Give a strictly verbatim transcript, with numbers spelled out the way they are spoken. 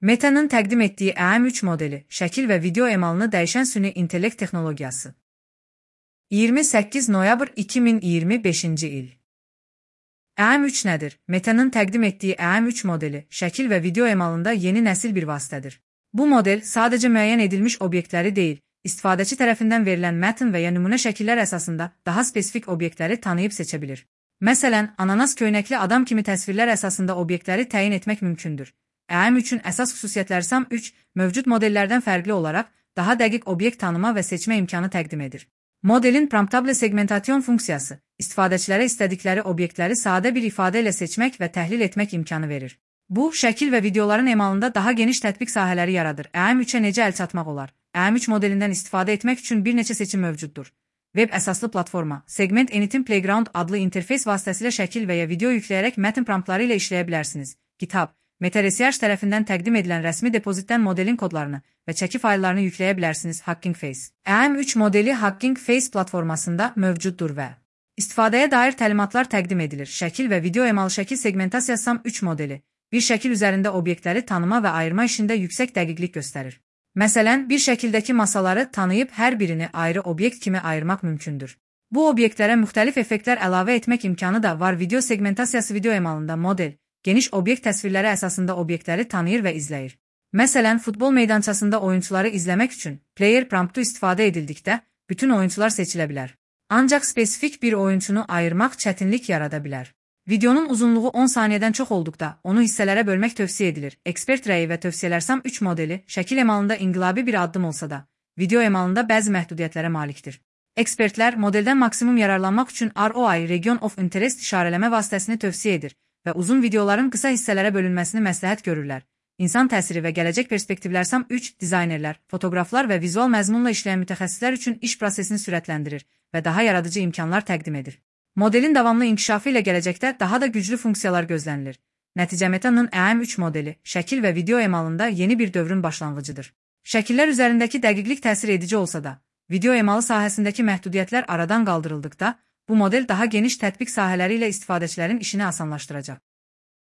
Meta'nın təqdim etdiyi E M üç modeli, şəkil və video emalını dəyişən süni intellekt texnologiyası. iyirmi səkkiz noyabr iki min iyirmi beşinci il. E M üç nədir? Meta'nın təqdim etdiyi E M üç modeli, şəkil və video emalında yeni nəsil bir vasitədir. Bu model sadəcə müəyyən edilmiş obyektləri deyil, istifadəçi tərəfindən verilən mətn və ya nümunə şəkillər əsasında daha spesifik obyektləri tanıyıb seçə bilir. Məsələn, ananas köynəkli adam kimi təsvirlər əsasında obyektləri təyin etmək mümkündür. E M üçün əsas xüsusiyyətləri S A M üç mövcud modellərdən fərqli olaraq daha dəqiq obyekt tanıma və seçmə imkanı təqdim edir. Modelin promptable segmentasyon funksiyası istifadəçilərə istədikləri obyektləri sadə bir ifadə ilə seçmək və təhlil etmək imkanı verir. Bu, şəkil və videoların emalında daha geniş tətbiq sahələri yaradır. E M üçə necə əl çatmaq olar? E M üç modelindən istifadə etmək üçün bir neçə seçim mövcuddur. Web əsaslı platforma, Segment Anything Playground adlı interfeys vasitəsilə şəkil və ya video yükləyərək mətn promptları ilə işləyə bilərsiniz. GitHub, Meta Research tərəfindən təqdim edilən rəsmi depozitdən modelin kodlarını və çəki fayllarını yükləyə bilərsiniz. Hugging Face. E M üç modeli Hugging Face platformasında mövcuddur və istifadəyə dair təlimatlar təqdim edilir. Şəkil və video emalı şəkil segmentasiyası S A M üç modeli bir şəkil üzərində obyektləri tanıma və ayırma işində yüksək dəqiqlik göstərir. Məsələn, bir şəkildəki masaları tanıyıb hər birini ayrı obyekt kimi ayırmaq mümkündür. Bu obyektlərə müxtəlif effektlər əlavə etmək imkanı da var. Video segmentasiyası video emalında model geniş obyekt təsvirləri əsasında obyektləri tanıyır və izləyir. Məsələn, futbol meydançasında oyunçuları izləmək üçün player promptu istifadə edildikdə bütün oyunçular seçilə bilər. Ancaq spesifik bir oyunçunu ayırmaq çətinlik yarada bilər. Videonun uzunluğu on saniyədən çox olduqda onu hissələrə bölmək tövsiyə edilir. Ekspert rəyi və tövsiyələr S A M üç modeli şəkil emalında inqilabi bir addım olsa da, video emalında bəzi məhdudiyyətlərə malikdir. Ekspertlər modeldən maksimum yararlanmaq üçün R O I Region of Interest işarələmə vasitəsini tövsiyə edir və uzun videoların qısa hissələrə bölünməsini məsləhət görürlər. İnsan təsiri və gələcək perspektivlər S A M üç dizaynerlər, fotoqraflar və vizual məzmunla işləyən mütəxəssislər üçün iş prosesini sürətləndirir və daha yaradıcı imkanlar təqdim edir. Modelin davamlı inkişafı ilə gələcəkdə daha da güclü funksiyalar gözlənilir. Nəticə Meta'nın E M üç modeli, şəkil və video emalında yeni bir dövrün başlanğıcıdır. Şəkillər üzərindəki dəqiqlik təsir edici olsa da, video emalı sahəsindəki məhdudiyyətlər aradan qaldırıldıqda, bu model daha geniş tətbiq sahələri ilə istifadəçilərin işini asanlaşdıracaq.